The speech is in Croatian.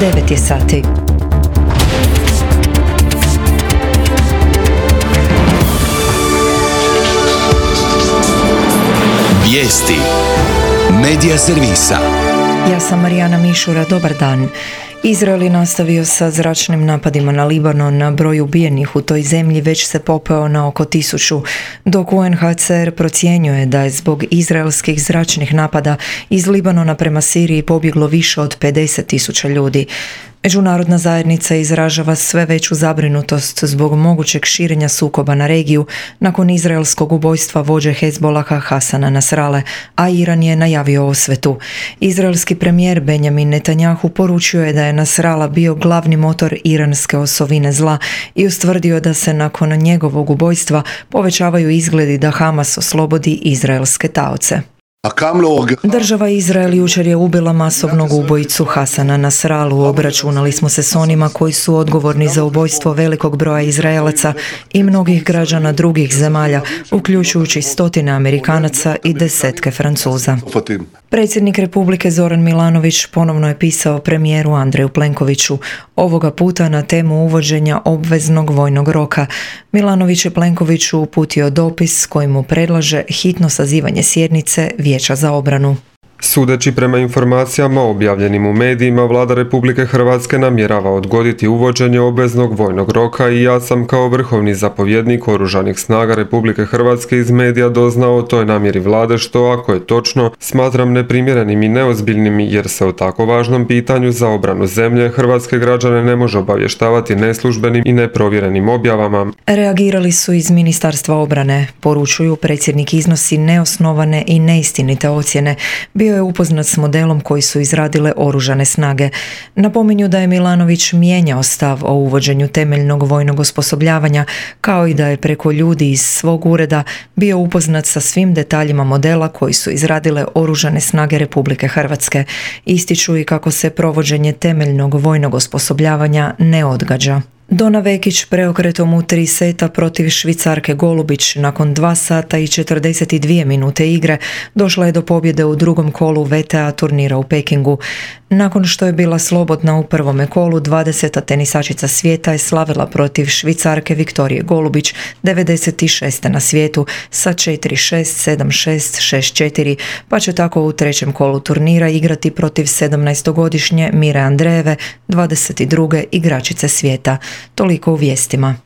9 je sati. Vijesti Medija servisa. Ja sam Marijana Mišura, dobar dan. Izrael je nastavio sa zračnim napadima na Libanon, broj ubijenih u toj zemlji već se popeo na oko 1000, dok UNHCR procjenjuje da je zbog izraelskih zračnih napada iz Libanona prema Siriji pobjeglo više od 50.000 ljudi. Međunarodna zajednica izražava sve veću zabrinutost zbog mogućeg širenja sukoba na regiju nakon izraelskog ubojstva vođe Hezbolaha Hasana Nasrale, a Iran je najavio osvetu. Izraelski premijer Benjamin Netanjahu poručio je da je Nasrala bio glavni motor iranske osovine zla i ustvrdio da se nakon njegovog ubojstva povećavaju izgledi da Hamas oslobodi izraelske taoce. Država Izrael jučer je ubila masovnog ubojicu Hasana Nasralu. Obračunali smo se s onima koji su odgovorni za ubojstvo velikog broja Izraelaca i mnogih građana drugih zemalja, uključujući stotine Amerikanaca i desetke Francuza. Predsjednik Republike Zoran Milanović ponovno je pisao premijeru Andreju Plenkoviću, ovoga puta na temu uvođenja obveznog vojnog roka. Milanović je Plenkoviću uputio dopis kojim mu predlaže hitno sazivanje sjednice Vijeća za obranu. Sudeći prema informacijama objavljenim u medijima, Vlada Republike Hrvatske namjerava odgoditi uvođenje obveznog vojnog roka i ja sam kao vrhovni zapovjednik Oružanih snaga Republike Hrvatske iz medija doznao o toj namjeri Vlade, što, ako je točno, smatram neprimjerenim i neozbiljnim jer se o tako važnom pitanju za obranu zemlje hrvatske građane ne može obavještavati neslužbenim i neprovjerenim objavama. Reagirali su iz Ministarstva obrane, poručuju predsjednik iznosi neosnovane i neistinite ocjene. Bio je upoznat s modelom koji su izradile Oružane snage. Napominju da je Milanović mijenjao stav o uvođenju temeljnog vojnog osposobljavanja, kao i da je preko ljudi iz svog ureda bio upoznat sa svim detaljima modela koji su izradile Oružane snage Republike Hrvatske. Ističu i kako se provođenje temeljnog vojnog osposobljavanja ne odgađa. Dona Vekić preokretom u 3 seta protiv Švicarke Golubić nakon 2 sata i 42 minute igre došla je do pobjede u drugom kolu WTA turnira u Pekingu. Nakon što je bila slobodna u prvome kolu, 20. tenisačica svijeta je slavila protiv Švicarke Viktorije Golubić, 96. na svijetu, sa 4-6, 7-6, 6-4, pa će tako u trećem kolu turnira igrati protiv 17-godišnje Mire Andreeve, 22. igračice svijeta. Toliko u vijestima.